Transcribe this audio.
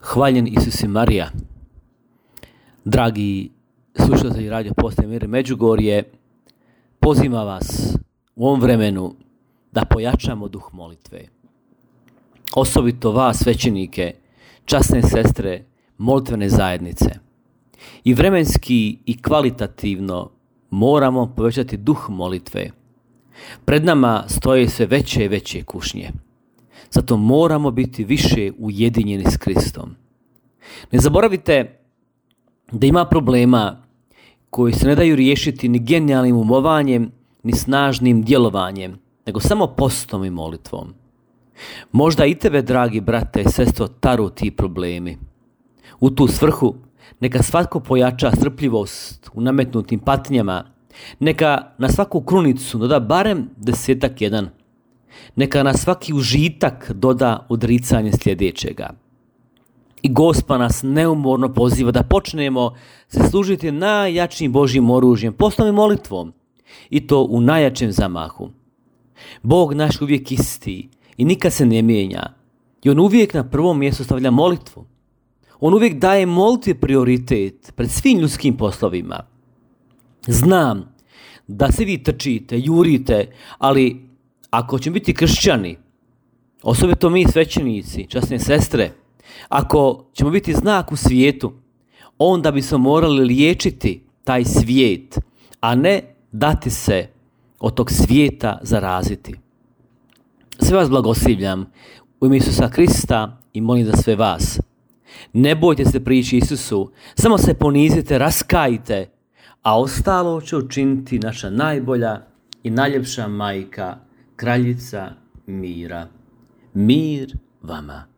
Hvaljen Isus i Marija. Dragi slušatelji Radio Postaje Mir Međugorje, pozivam vas u ovom vremenu da pojačamo duh molitve. Osobito vas, svećenike, časne sestre, molitvene zajednice. I vremenski i kvalitativno moramo povećati duh molitve. Pred nama stoje sve veće i veće kušnje. Zato moramo biti više ujedinjeni s Kristom. Ne zaboravite da ima problema koji se ne daju riješiti ni genijalnim umovanjem, ni snažnim djelovanjem, nego samo postom i molitvom. Možda i tebe, dragi brate i sestro, taru ti problemi. U tu svrhu neka svatko pojača strpljivost u nametnutim patnjama, neka na svaku krunicu doda barem 10-1. Neka na svaki užitak doda odricanje sljedećega. I Gospa nas neumorno poziva da počnemo se služiti najjačim Božjim oružjem, postom i molitvom, i to u najjačem zamahu. Bog naš uvijek isti i nikad se ne mijenja, i On uvijek na prvom mjestu stavlja molitvu. On uvijek daje molitvi prioritet pred svim ljudskim poslovima. Znam da se vi trčite, jurite, ali ako ćemo biti kršćani, osobito mi svećenici, časne sestre, ako ćemo biti znak u svijetu, onda bismo morali liječiti taj svijet, a ne dati se od tog svijeta zaraziti. Sve vas blagoslivljam u ime Isusa Krista i molim za sve vas. Ne bojte se prići Isusu, samo se ponizite, raskajte, a ostalo će učiniti naša najbolja i najljepša majka, kraljica mira. Mir vama.